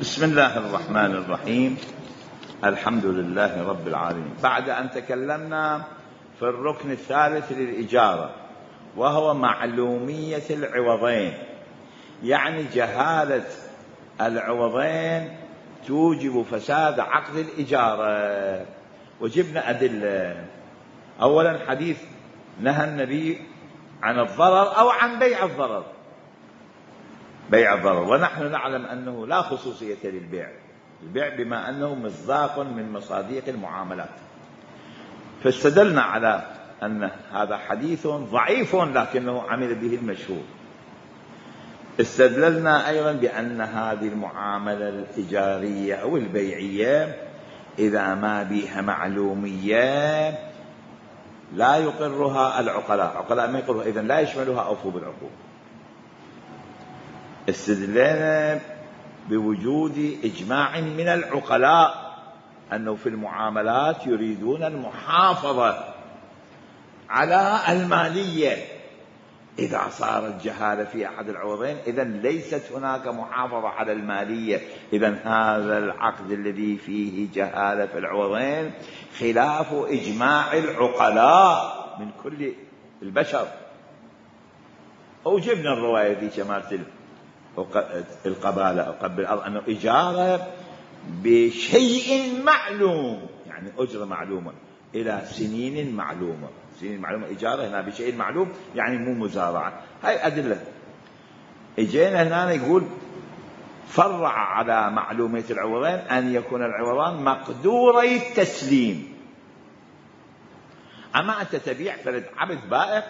بسم الله الرحمن الرحيم. الحمد لله رب العالمين. بعد أن تكلمنا في الركن الثالث للإجارة وهو معلومية العوضين، يعني جهالة العوضين توجب فساد عقد الإجارة، وجبنا أدلة. أولا حديث نهى النبي عن الضرر أو عن بيع الضرر، بيع الضرر، ونحن نعلم أنه لا خصوصية للبيع، البيع بما أنه مصداق من مصاديق المعاملات، فاستدلنا على أن هذا حديث ضعيف لكنه عمل به المشهور. استدللنا أيضا بأن هذه المعاملة الإيجارية أو البيعية إذا ما بها معلومية لا يقرها العقلاء ما يقرها، إذن لا يشملها أوفوا بالعقود. استدلنا بوجود إجماع من العقلاء أنه في المعاملات يريدون المحافظة على المالية. إذا صارت جهالة في أحد العوضين إذن ليست هناك محافظة على المالية، إذن هذا العقد الذي فيه جهالة في العوضين خلاف إجماع العقلاء من كل البشر. أوجبنا الرواية في شمال القبالة قبل الأرض أنه إجارة بشيء معلوم، يعني أجرة معلومة إلى سنين معلومة، سنين معلومة إجارة هنا بشيء معلوم، يعني مو مزارعة. هاي أدلة. إجينا هنا يقول فرع على معلومية العوضين أن يكون العوضان مقدوري التسليم. أما أنت تبيع فرد عبد بائق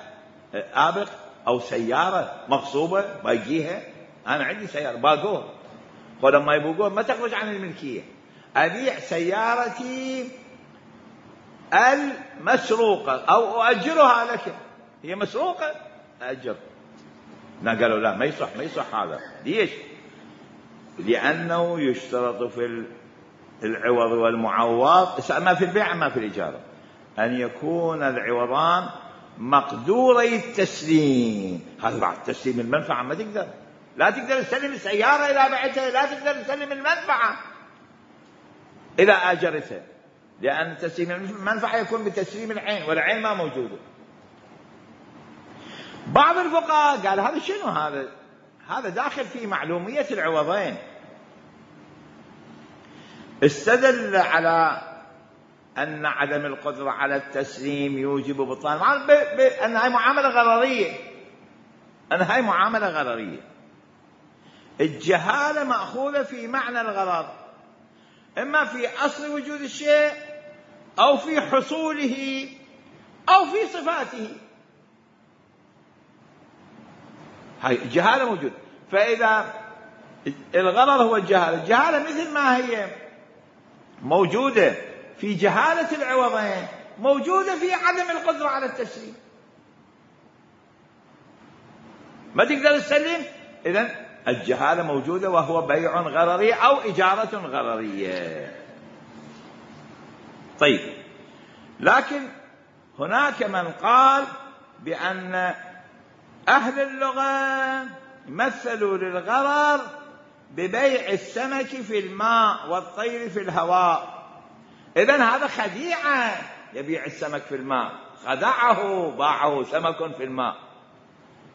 آبق أو سيارة مغصوبة بايجيها، أنا عندي سيارة باقوه، ولما يبوقوه ما تخرج عن الملكية، أبيع سيارتي المسروقة أو أؤجرها لك، هي مسروقة أجر. قالوا لا ما يصح هذا. ليش؟ لأنه يشترط في العوض والمعوض، ما في البيع ما في الإجارة، أن يكون العوضان مقدوري التسليم. هذا بعد تسليم المنفعة ما تقدر، لا تقدر تسلم السيارة إذا بعتها، لا تقدر تسلم المنفعة إذا آجرتها، لأن تسليم المنفعة يكون بتسليم العين، والعين ما موجودة. بعض الفقهاء قال هذا شنو هذا داخل في معلومية العوضين. استدل على أن عدم القدرة على التسليم يوجب بطلان، أن هاي معاملة غررية، الجهالة مأخوذة في معنى الغرر، إما في أصل وجود الشيء أو في حصوله أو في صفاته. هاي الجهالة موجودة. فإذا الغرر هو الجهالة مثل ما هي موجودة في جهالة العوضين موجودة في عدم القدرة على التسليم، ما تقدر تسلم، إذن الجهالة موجودة وهو بيع غرري أو إجارة غررية. طيب، لكن هناك من قال بأن أهل اللغة مثلوا للغرر ببيع السمك في الماء والطير في الهواء. إذن هذا خديعة، يبيع السمك في الماء، خدعه، باعه سمك في الماء،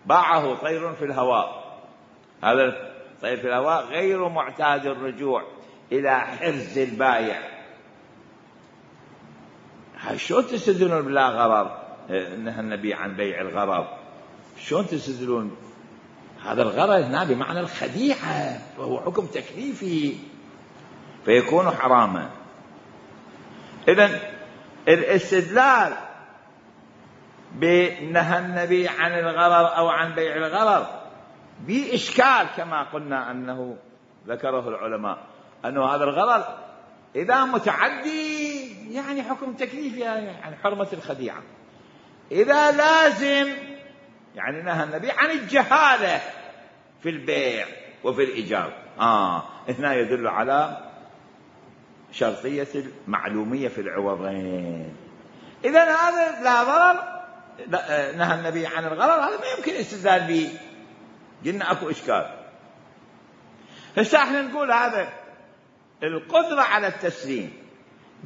باعه طير في الهواء. هذا الطير في الهواء غير معتاد الرجوع إلى حرز البايع. شلون تستدلون بلا غرر؟ نهى النبي عن بيع الغرر، شلون تستدلون؟ هذا الغرر هنا بمعنى الخديعة، وهو حكم تكليفي فيكون حراما. إذن الاستدلال بنهى النبي عن الغرر أو عن بيع الغرر بإشكال، كما قلنا أنه ذكره العلماء أنه هذا الغرر إذا متعدي يعني حكم تكليفي، يعني حرمة الخديعة. إذا لازم يعني نهى النبي عن الجهالة في البيع وفي الإيجار. هنا يدل على شرطية المعلومية في العوضين. إذن هذا لا ضرر، نهى النبي عن الغرر، هذا ما يمكن استدلال به، قلنا أكو إشكال. هسه احنا نقول هذا القدرة على التسليم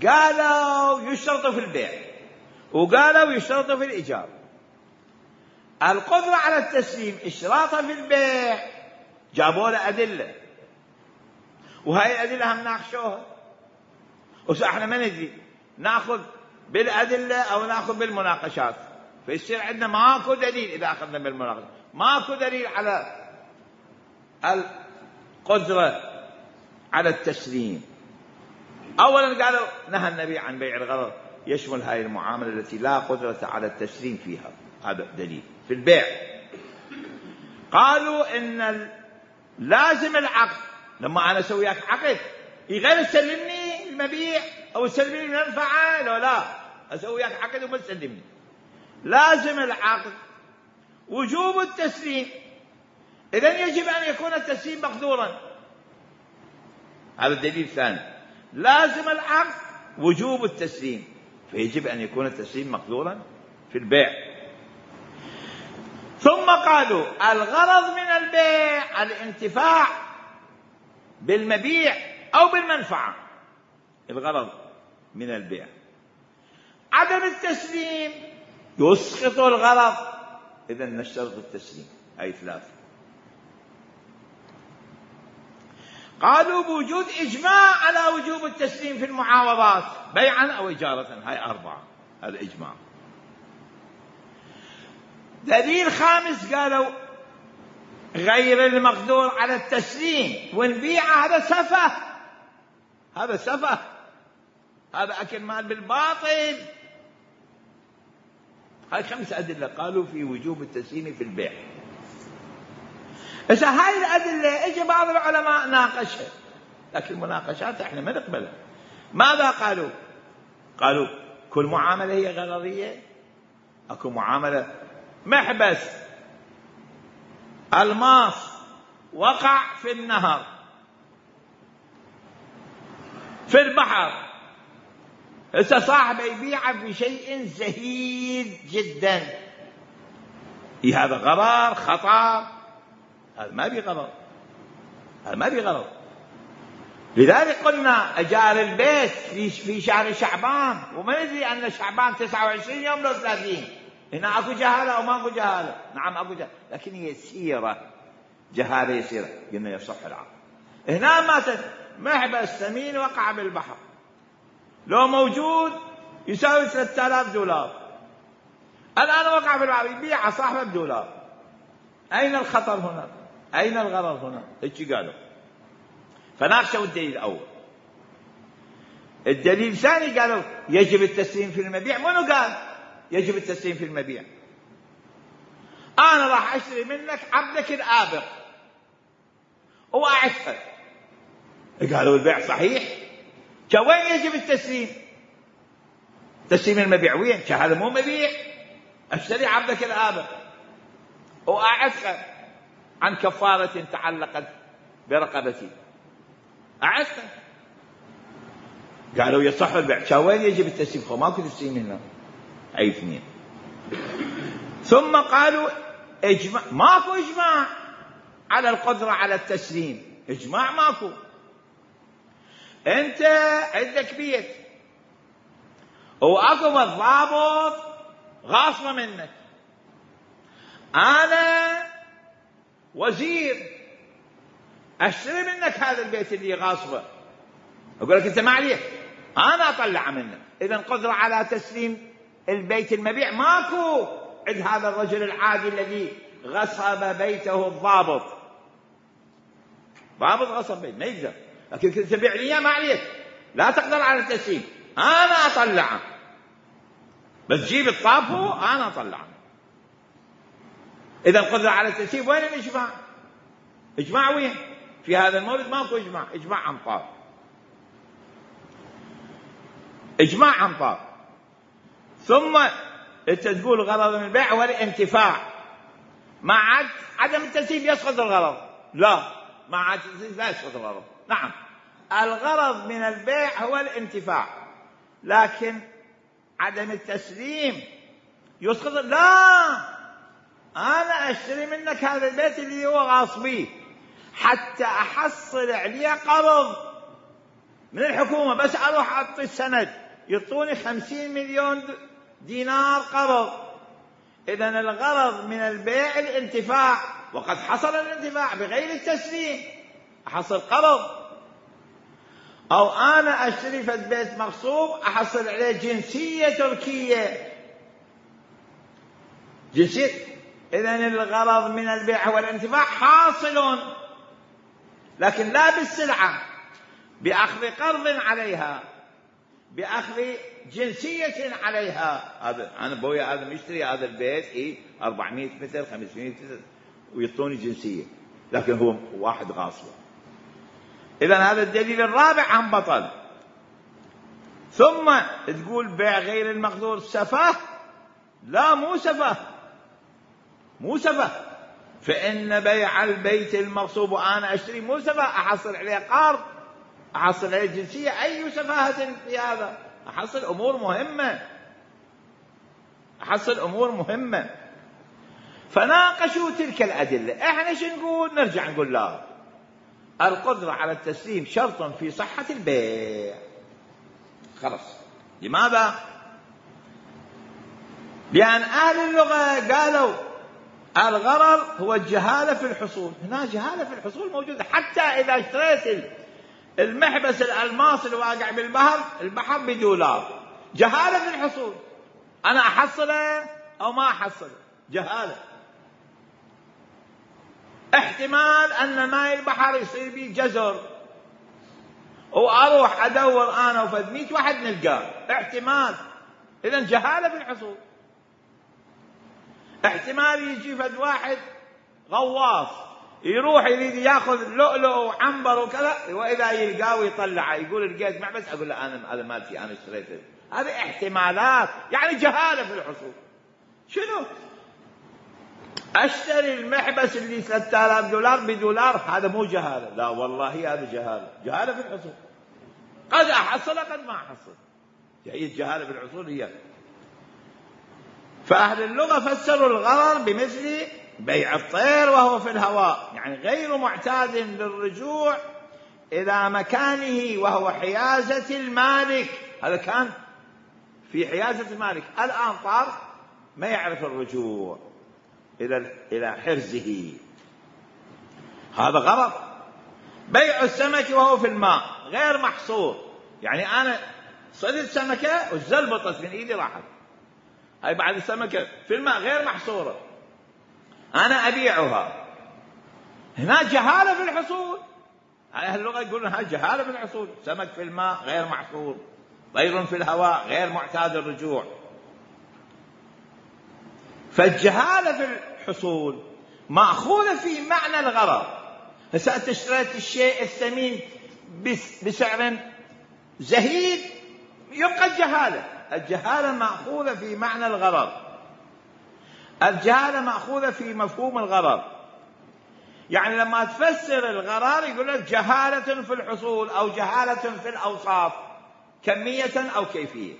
قالوا يشترط في البيع وقالوا يشترط في الإيجار. القدرة على التسليم إشراطها في البيع جابوا له أدلة، وهاي الأدلة هم ناقشوها، وإحنا ما ندري ناخذ بالأدلة أو ناخذ بالمناقشات، فيصير عندنا ماكو دليل. إذا أخذنا بالمناقشة ماكو دليل على القدرة على التسليم. أولا قالوا نهى النبي عن بيع الغرض، يشمل هاي المعاملة التي لا قدرة على التسليم فيها، هذا دليل في البيع. قالوا إن لازم العقد، لما أنا أسوي وياك عقد غير تسلمني المبيع أو تسلمني المنفعة، لا أسوي وياك عقد وما تسلمني، لازم العقد وجوب التسليم. إذن يجب أن يكون التسليم مقدورا، هذا الدليل الثاني. لازم العقد وجوب التسليم، فيجب أن يكون التسليم مقدورا في البيع. ثم قالوا الغرض من البيع الانتفاع بالمبيع أو بالمنفعة، الغرض من البيع. عدم التسليم يسقط الغرض، إذن نشترط التسليم. أي ثلاثة. قالوا بوجود إجماع على وجوب التسليم في المعاوضات بيعا أو إجارة، هاي أربعة، هذا إجماع. دليل خامس قالوا غير المقدور على التسليم والبيع، هذا سفه، هذا سفه، هذا أكل مال بالباطل. هاي 5 أدلة قالوا في وجوب التسليم في البيع. إذا هاي الأدلة إجا بعض العلماء ناقشها، لكن المناقشات إحنا ما نقبلها. ماذا قالوا؟ قالوا كل معاملة هي غرضية. أكو معاملة محبس الماس وقع في النهر في البحر، إذا صاحب يبيعه بشيء زهيد جدا، هذا غرر خطر، هذا ما بغرض، هذا ما بغرض. لذلك قلنا أجار البيت في شهر شعبان، وما ندري أن شعبان 29 يوم لو 30. هنا أكو جهالة أو ما أكو جهالة؟ نعم أكو جهالة، لكن هي يسيرة، جهالة يسيرة، قلنا يصح العقد. هنا ماتت محبس ثمين وقع بالبحر، لو موجود يساوي 3000 دولار، الآن وقع بالبحر يبيع صاحبه بدولار. أين الخطر هنا؟ أين الغرض هنا؟ هيك قالوا. فناقشوا الدليل الأول. الدليل الثاني قالوا يجب التسليم في المبيع. منو قال يجب التسليم في المبيع؟ أنا راح أشتري منك عبدك الآبق وأعتقه. قالوا البيع صحيح، وين يجب التسليم؟ تسليم المبيع وين؟ هذا مو مبيع، أشتري عبدك الآبق وأعتقه عن كفارة تعلقت برقبتي، أعتقه. قالوا يصح البيع، وين يجب التسليم؟ ماكو تسليم هنا. أي 2. ثم قالوا إجماع، ماكو إجماع على القدرة على التسليم، إجماع ماكو. أنت عندك بيت وأكو الضابط غاصبة منك، أنا وزير أشتري منك هذا البيت اللي غاصبه، أقول لك أنت ما عليك، أنا أطلع منك. إذن قدرة على تسليم البيت المبيع ماكو عند هذا الرجل العادي الذي غصب بيته الضابط. ضابط غصب بيت ما يقدر، لكن كنت تبيع لي ما عليك، لا تقدر على التسليم، أنا أطلعه، بس جيب الطابو أنا أطلعه. إذا القدرة على التسليم وين الإجماع؟ إجماع وين؟ في هذا المورد ماكو إجماع، إجماع أمطار، إجماع أمطار. ثم أنت تقول غرض من البيع هو الانتفاع، مع عدم التسليم يسقط الغرض. لا، مع عدم التسليم لا يسقط الغرض. نعم، الغرض من البيع هو الانتفاع، لكن عدم التسليم يسقط. لا، أنا أشتري منك هذا البيت اللي هو غاصبي حتى أحصل عليه قرض، من الحكومة، بس أروح أعطي السند يعطوني 50 مليون دينار قرض. إذن الغرض من البيع الانتفاع، وقد حصل الانتفاع بغير التسليم، أحصل قرض. أو أنا أشتري في بيت مغصوب أحصل عليه جنسية تركية، جنسية. إذن الغرض من البيع هو الانتفاع حاصل، لكن لا بالسلعة، بأخذ قرض عليها، بأخذ جنسية عليها. هذا أنا بويا هذا مشتري هذا البيت 400 متر 500 متر ويعطوني جنسية، لكن هو واحد غاصب. إذن هذا الدليل الرابع عن بطل. ثم تقول بيع غير المقدور سفه؟ لا، مو سفه، مو سفه. فإن بيع البيت المغصوب وأنا أشتري مو سفه، أحصل عليه قرض، أحصل عليه جنسية. أي سفاهة في هذا؟ أحصل أمور مهمة، أحصل أمور مهمة. فناقشوا تلك الأدلة. إحنا شو نقول؟ نرجع نقول لا، القدرة على التسليم شرط في صحة البيع. خلاص. لماذا؟ لأن أهل اللغة قالوا الغرر هو الجهالة في الحصول. هنا جهالة في الحصول موجودة. حتى إذا اشتريت المحبس الألماس اللي واقع البحر بدولار، جهالة في الحصول. أنا أحصله أو ما أحصله، جهالة. احتمال أن ماء البحر يصير به جزر، وأروح أدور أنا وفد 100 واحد نلقاه، احتمال. إذن جهالة في الحصول. احتمال يجي فد واحد غواص يروح يريد ياخذ لؤلؤ وعنبر وكذا، وإذا يلقاه ويطلعه يقول لقيت معبس، أقول له أنا هذا مالتي، أنا اشتريته. هذه احتمالات، يعني جهالة في الحصول. شنو؟ أشتري المحبس اللي 3000 دولار بدولار، هذا مو جهالة. لا والله هذا جهالة، جهالة في الحصول. قد أحصل قد ما أحصل، هي الجهالة في الحصول هي. فأهل اللغة فسروا الغرر بمثل بيع الطير وهو في الهواء، يعني غير معتاد للرجوع إلى مكانه وهو حيازة المالك. هذا كان في حيازة المالك، الآن طار ما يعرف الرجوع إلى حرزه، هذا غرر. بيع السمك وهو في الماء غير محصور، يعني أنا صيدت سمكة والزلبطت من إيدي راحت، هاي بعد السمكة في الماء غير محصورة، أنا أبيعها. هنا جهالة في الحصول. أهل اللغة يقولون هاي جهالة في الحصول. سمك في الماء غير محصور، طير في الهواء غير معتاد الرجوع. فالجهالة في الحصول مأخوذة في معنى الغرر. هسه أنت اشتريت الشيء الثمين بسعر زهيد، يبقى الجهالة. الجهالة مأخوذة في معنى الغرر، الجهالة مأخوذة في مفهوم الغرر. يعني لما تفسر الغرر يقول لك جهالة في الحصول أو جهالة في الأوصاف، كمية أو كيفية.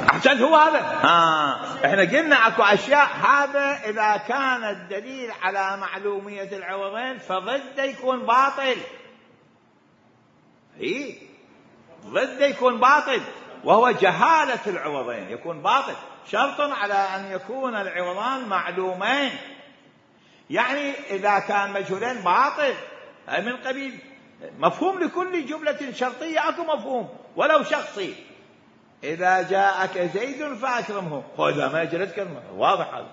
أحسنت، هو هذا. احنا قلنا اكو اشياء، هذا اذا كان الدليل على معلومية العوضين فضد يكون باطل. ضد يكون باطل، وهو جهالة العوضين يكون باطل. شرط على ان يكون العوضان معلومين، يعني اذا كان مجهولين باطل. هاي من قبيل مفهوم لكل جملة شرطية اكو مفهوم ولو شخصي. إذا جاءك زيد فأكرمه، وإذا ما جاء كلمة، واضح هذا.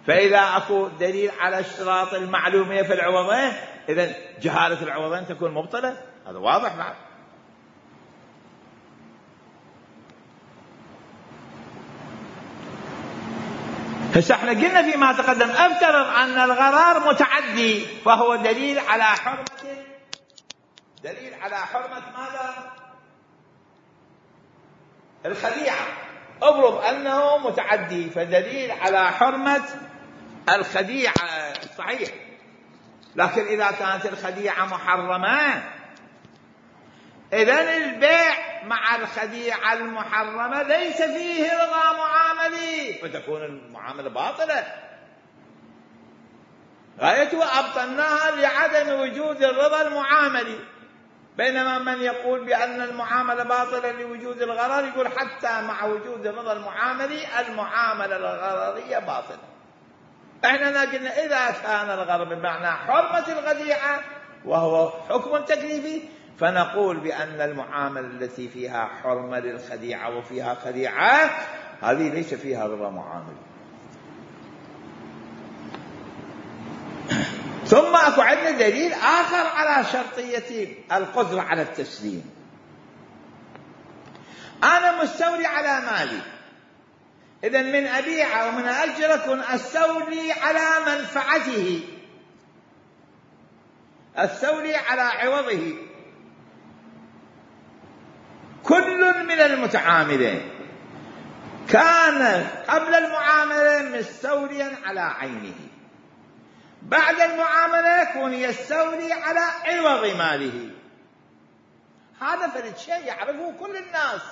فإذا أكو دليل على اشتراط المعلومية في العوضين، إذن جهالة العوضين تكون مبطلة، هذا واضح. نعم. هسه احنا قلنا فيما تقدم افترض أن الغرار متعدي، فهو دليل على حرمة ماذا؟ الخديعة. افرض أنه متعدي، فدليل على حرمة الخديعة صحيح. لكن إذا كانت الخديعة محرمة، إذن البيع مع الخديعة المحرمة ليس فيه رضا معاملي، فتكون المعاملة باطلة. غايته أبطلناها لعدم وجود الرضا المعاملي. بينما من يقول بأن المعاملة باطلة لوجود الغرر يقول حتى مع وجود الرضا المعاملي المعاملة الغررية باطلة. احنا قلنا إذا كان الغرر بمعنى حرمة الخديعة وهو حكم تكليفي، فنقول بأن المعاملة التي فيها حرمة للخديعة وفيها خديعة هذه ليس فيها رضا معاملي. ثم أكو عندنا دليل آخر على شرطية القدرة على التسليم. أنا مستولي على مالي، إذن من أبيع أو من أجر أكون أستولي على منفعته، أستولي على عوضه. كل من المتعاملين كان قبل المعاملة مستوليا على عينه، بعد المعاملة يكون يستولي على عوض ماله. هذا فرد شيء يعرفه كل الناس.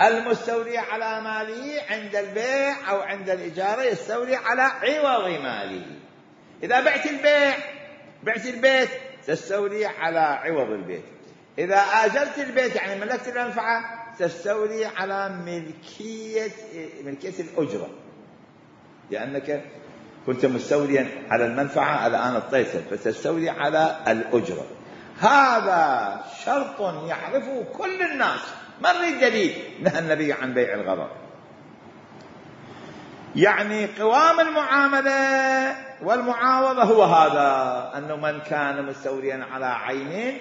المستولي على ماله عند البيع أو عند الإجارة يستولي على عوض ماله. إذا بعت البيت تستولي على عوض البيت. إذا آجرت البيت يعني ملكت المنفعة تستولي على ملكية الأجرة، لأنك كنت مستوليا على المنفعة الآن اطيتها فتستولي على الأجرة. هذا شرط يعرفه كل الناس. ما نريد دليل نهى النبي عن بيع الغرر. يعني قوام المعاملة والمعاوضة هو هذا، أنه من كان مستوليا على عين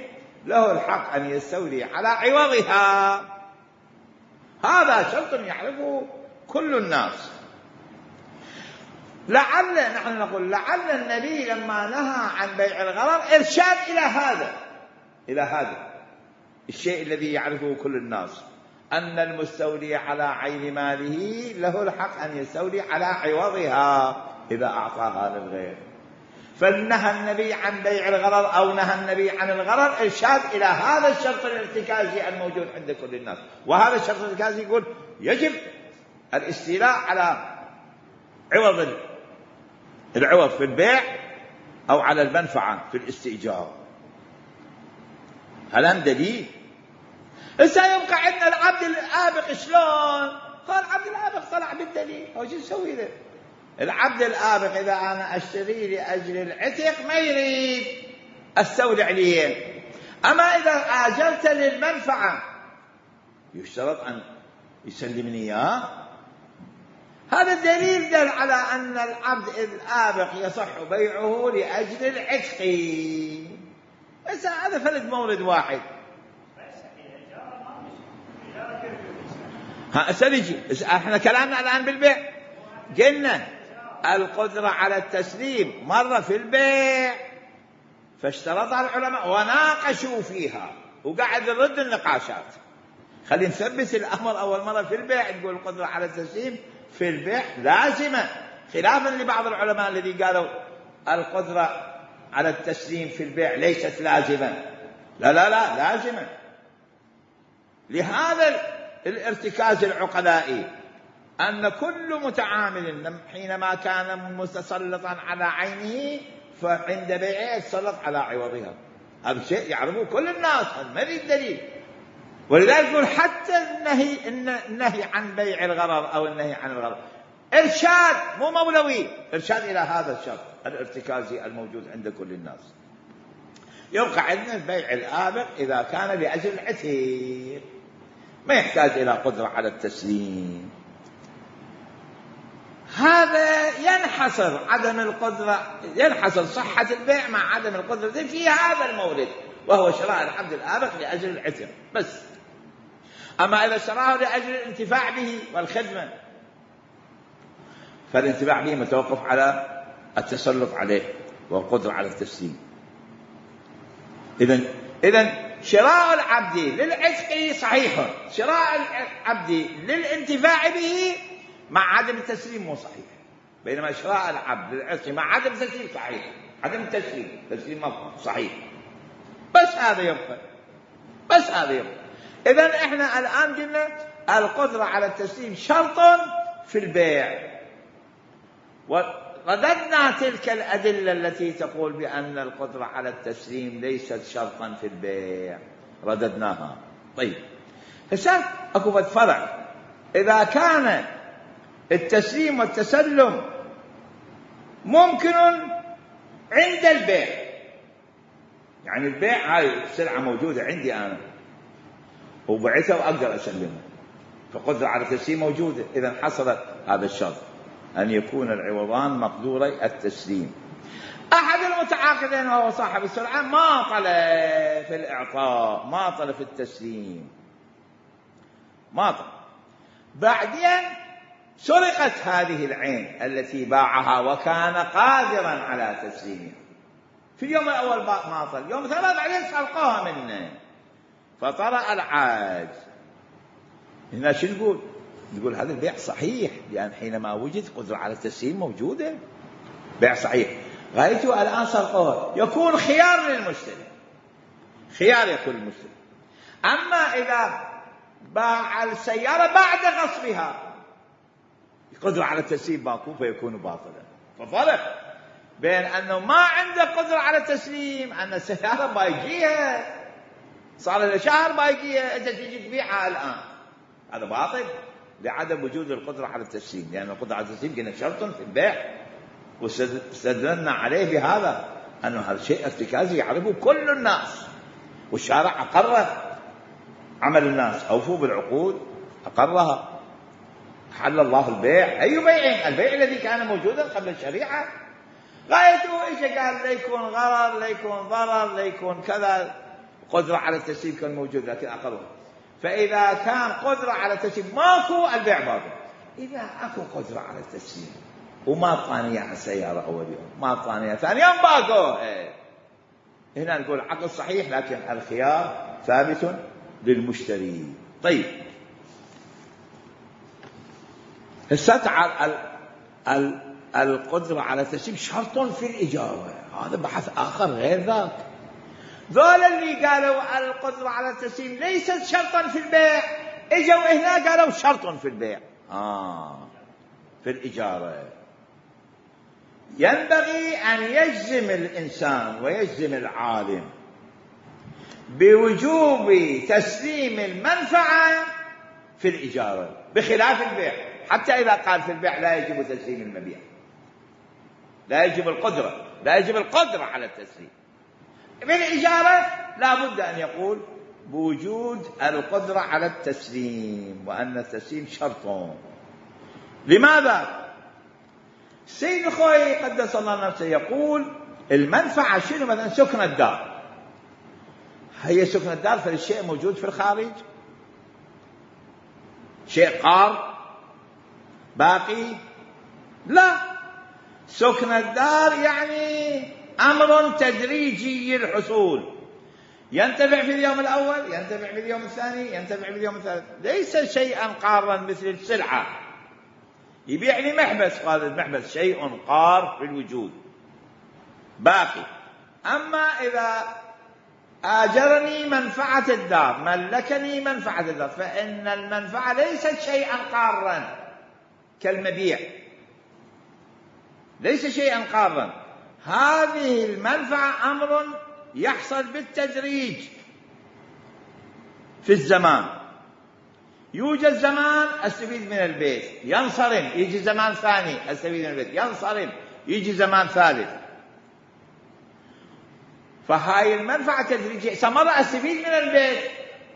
له الحق أن يستولي على عوضها. هذا شرط يعرفه كل الناس. نحن نقول لعل النبي لما نهى عن بيع الغرر إرشاد إلى هذا الشيء الذي يعرفه كل الناس، أن المستولي على عين ماله له الحق أن يستولي على عوضها إذا أعطاها للغير. فنهى النبي عن بيع الغرر أو نهى النبي عن الغرر إرشاد إلى هذا الشرط الارتكازي الموجود عند كل الناس. وهذا الشرط الارتكازي يقول يجب الاستيلاء على العوض في البيع أو على المنفعة في الاستئجار. هل دليل؟ إذا يبقى عندنا العبد الآبق شلون؟ قال العبد الآبق طلع بالدليل. هو شو نسوي له؟ العبد الآبق إذا أنا أشتري لأجل العتق ما يريد أستولي عليه، أما إذا آجلت للمنفعة يشترط أن يسلمني إياه. هذا الدليل دل على أن العبد الآبق يصح بيعه لأجل العتق. بس هذا فرد مورد واحد. سنجي احنا كلامنا الآن بالبيع. قلنا القدرة على التسليم مرة في البيع فاشترطها العلماء وناقشوا فيها وقاعد نرد النقاشات. خلينا نثبت الأمر أول مرة في البيع. نقول القدرة على التسليم في البيع لازمة، خلافا لبعض العلماء الذي قالوا القدرة على التسليم في البيع ليست لازمة. لا لازمة. لهذا الارتكاز العقلائي أن كل متعامل حينما كان متسلطا على عينه فعند بيعه يتسلط على عوضها. هذا شيء يعرفه كل الناس، ما في دليل. ولذلك يقول حتى النهي عن بيع الغرر أو النهي عن الغرر إرشاد مو مولوي، إرشاد إلى هذا الشرط الارتكازي الموجود عند كل الناس. يبقى عندنا البيع الآبق إذا كان لأجل العتق ما يحتاج إلى قدرة على التسليم. هذا ينحصر صحة البيع مع عدم القدرة في هذا المورد، وهو شراء العبد الآبق لأجل العتق بس. أما إذا شراه لأجل الانتفاع به والخدمة فالانتفاع به متوقف على التسلط عليه والقدرة على التسليم. إذن شراء العبد للعتق صحيح، شراء العبد للانتفاع به مع عدم التسليم مو صحيح. بينما شراء العبد للعتق مع عدم التسليم صحيح. عدم التسليم صحيح. بس هذا يبقى. إذن إحنا الآن قلنا القدرة على التسليم شرط في البيع، ورددنا تلك الأدلة التي تقول بأن القدرة على التسليم ليست شرطا في البيع، رددناها. طيب هسه أكو فرع، إذا كان التسليم والتسلم ممكن عند البيع، يعني البيع هاي السلعة موجودة عندي أنا وبعتها وأقدر أسلمها، فقدرة على التسليم موجودة، إذا حصل هذا الشرط أن يكون العوضان مقدوري التسليم. أحد المتعاقدين وهو صاحب السلعة ما طل في الإعطاء، ما طل في التسليم، ما طل. بعدين سرقت هذه العين التي باعها وكان قادرا على تسليمها، في اليوم الأول ما طل، يوم ثلاث بعدين سرقوها منه فطرأ العاج. هنا شو نقول؟ نقول هذا البيع صحيح، لأن حينما وجد قدرة على التسليم موجودة، بيع صحيح. غايته الآن سرقوها، يكون خيار للمشتري، خيار يكون للمشتري. أما إذا باع السيارة بعد غصبها قدرة على التسليم ماكو فيكون باطلا. ففرق بين أنه ما عنده قدرة على التسليم، أن السيارة بايجيها صار له شهر بايجيها، أنت تجي تبيعها الآن، هذا باطل لعدم وجود القدرة على التسليم، لأن القدرة على التسليم قلنا شرط في البيع، واستدلنا عليه بهذا أنه هذا شيء ارتكازي يعرفه كل الناس، والشارع أقره، عمل الناس أوفوا بالعقود أقرها، حل الله البيع. أي بيع؟ البيع الذي كان موجودا قبل الشريعة. غايته إيش؟ قال ليكون غرر، ليكون ضرر، ليكون كذا، قدرة على التسليم كان موجود لكن أقره. فإذا كان قدرة على التسليم ماكو، البيع باطل. إذا أكو قدرة على التسليم وما طانية على السيارة أول يوم، ما طانية ثاني يوم، باكو، هنا نقول عقد صحيح، لكن الخيار ثابت للمشتري. طيب هسه القدرة على التسليم شرط في الإجارة، هذا بحث آخر غير ذاك. ذول اللي قالوا القدرة على التسليم ليست شرطا في البيع، اجوا هنا قالوا شرط في البيع، في الإجارة. ينبغي أن يجزم الإنسان ويجزم العالم بوجوب تسليم المنفعة في الإجارة بخلاف البيع، حتى إذا قال في البيع لا يجب تسليم المبيع، لا يجب القدرة، لا يجب القدرة على التسليم. بالإجارة لا بد أن يقول بوجود القدرة على التسليم، وأن التسليم شرط. لماذا؟ السيد الخوئي قدس الله نفسه يقول المنفعة شنو؟ مثلا سكن الدار، هي سكن الدار فالشيء موجود في الخارج، شيء قار باقي؟ لا، سكن الدار يعني أمر تدريجي الحصول، ينتفع في اليوم الأول، ينتفع في اليوم الثاني، ينتفع في اليوم الثالث، ليس شيئا قارا مثل السلعة. يبيع لي محبس، قال المحبس شيء قار في الوجود باقي. أما إذا آجرني منفعة الدار، ملكني منفعة الدار، فإن المنفعة ليست شيئا قارا كالمبيع، ليس شيئا قارا. هذه المنفعة أمر يحصل بالتدريج في الزمان، يوجد زمان استفيد من البيت ينصرم، يجي زمان ثاني استفيد من البيت ينصرم، يجي زمان ثالث. فهاي المنفعة تدريجية. مرة استفيد من البيت،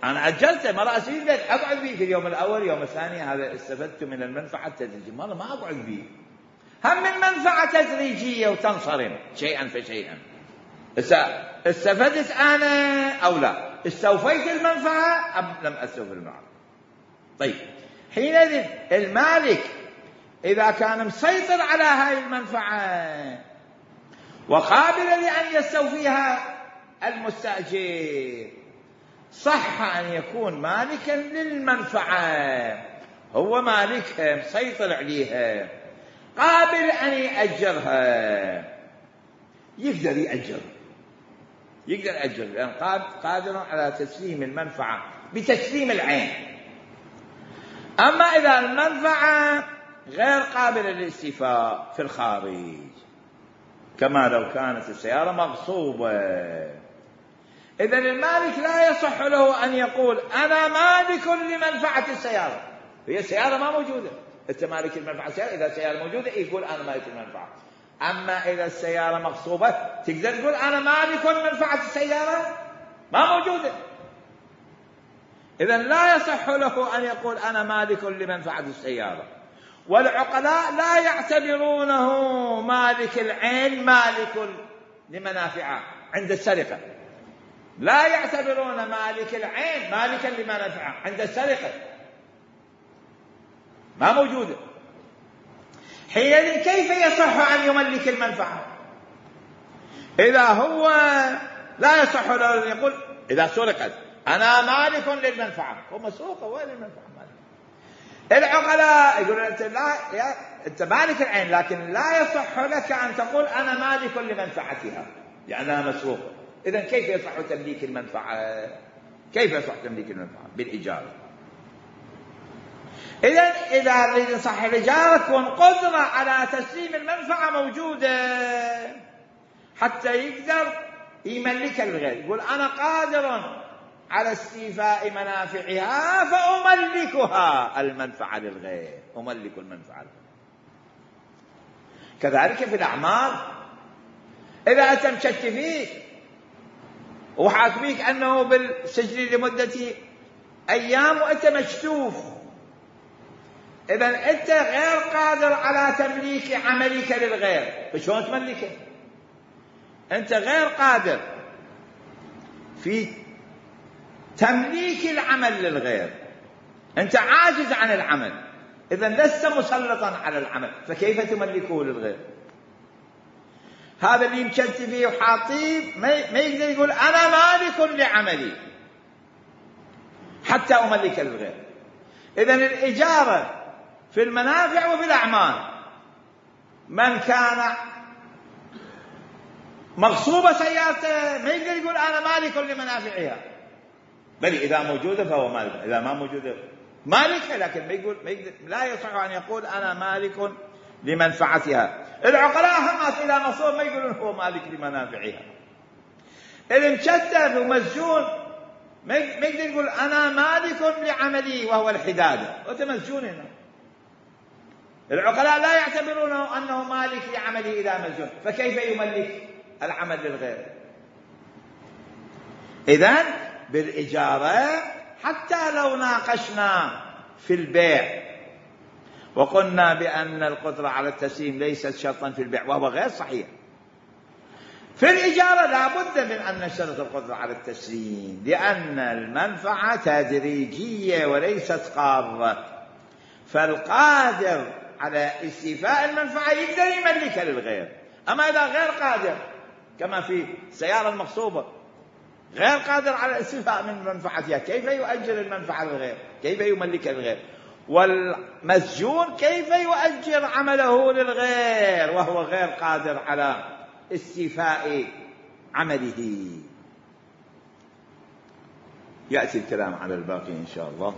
أنا أجلته، مرة استفيد من البيت أقعد به في اليوم الأول، يوم الثاني هذا استفدت من المنفعة التدريجية، مرة ما أقعد به. هم من منفعة تدريجية وتنصرم شيئا فشيئا. استفدت أنا أو لا، استوفيت المنفعة أم لم أستوفي المنفعة. طيب حينئذ المالك إذا كان مسيطر على هذه المنفعة وقابل لأن يستوفيها المستأجر، صح أن يكون مالكا للمنفعة، هو مالكها مسيطر عليها، قابل أن يأجرها، يقدر يأجر، لأن قادر على تسليم المنفعة بتسليم العين. أما إذا المنفعة غير قابلة للاستيفاء في الخارج، كما لو كانت السيارة مغصوبة، إذن المالك لا يصح له أن يقول أنا مالك لمنفعة السيارة، هي السيارة ما موجودة، أنت مالك المنفعة السيارة. إذا السيارة موجودة يقول أنا مالك المنفعة. أما إذا السيارة مغصوبة تقدر تقول أنا مالك لمنفعة السيارة، ما موجودة. إذن لا يصح له أن يقول أنا مالك لمنفعة السيارة. والعقلاء لا يعتبرونه مالك العين مالك لمنافعه عند السرقة، لا يعتبرون مالك العين مالكا لمنافعه عند السرقة، ما موجودة. حينئذ كيف يصح أن يملك المنفعة إذا هو لا يصح له أن يقول إذا سرقت أنا مالك للمنفعة، هو مسروقة وين المنفعة مالك؟ العقلاء يقولون أنت مالك العين، لكن لا يصح لك أن تقول أنا مالك لمنفعتها لأنها مسروقة. إذن كيف يصح تمليك المنفعة؟ كيف يصح تمليك المنفعة؟ بالإجارة. إذن إذا أريد صح الإجارة تكون قدرة على تسليم المنفعة موجودة حتى يقدر يملكها للغير، يقول أنا قادر على استيفاء منافعها فأملكها المنفعة للغير، أملك المنفعة للغير. كذلك في الأعمال، إذا أنت مشت فيك وحاكميك أنه بالسجن لمدة أيام وأنت مشتوف، إذن أنت غير قادر على تمليك عملك للغير، فشون تملكه؟ أنت غير قادر في تمليك العمل للغير، أنت عاجز عن العمل، إذن لست مسلطا على العمل، فكيف تملكه للغير؟ هذا اللي مشت فيه وحاطيه ما يقدر يقول أنا مالك لعملي حتى أملك للغير. إذن الإجارة في المنافع وفي الأعمال، من كان مغصوبة سيارته ما يقدر يقول أنا مالك لمنافعها، بل إذا موجودة فهو مالك، إذا ما موجودة مالك، لكن لا يصح أن يقول أنا مالك لمنفعتها. العقلاء هم إذا مصور ما يقولون هو مالك لمنافعها. المشتت ومسجون ما يقدر يقول أنا مالك لعملي وهو الحدادة، وأنت مسجون هنا. العقلاء لا يعتبرونه أنه مالك لعمله إذا مسجون، فكيف يملك العمل للغير؟ إذن بالإجارة حتى لو ناقشنا في البيع وقلنا بأن القدرة على التسليم ليست شرطا في البيع وهو غير صحيح، في الإجارة لا بد من أن نشترط القدرة على التسليم، لأن المنفعة تدريجية وليست قارة، فالقادر على استيفاء المنفعة يقدر يملكها للغير. أما إذا غير قادر كما في السيارة المغصوبة غير قادر على الاستيفاء من منفعتها، كيف يؤجر المنفعة للغير؟ كيف يملكها للغير؟ والمسجون كيف يؤجر عمله للغير وهو غير قادر على استيفاء عمله؟ يأتي الكلام على الباقي إن شاء الله.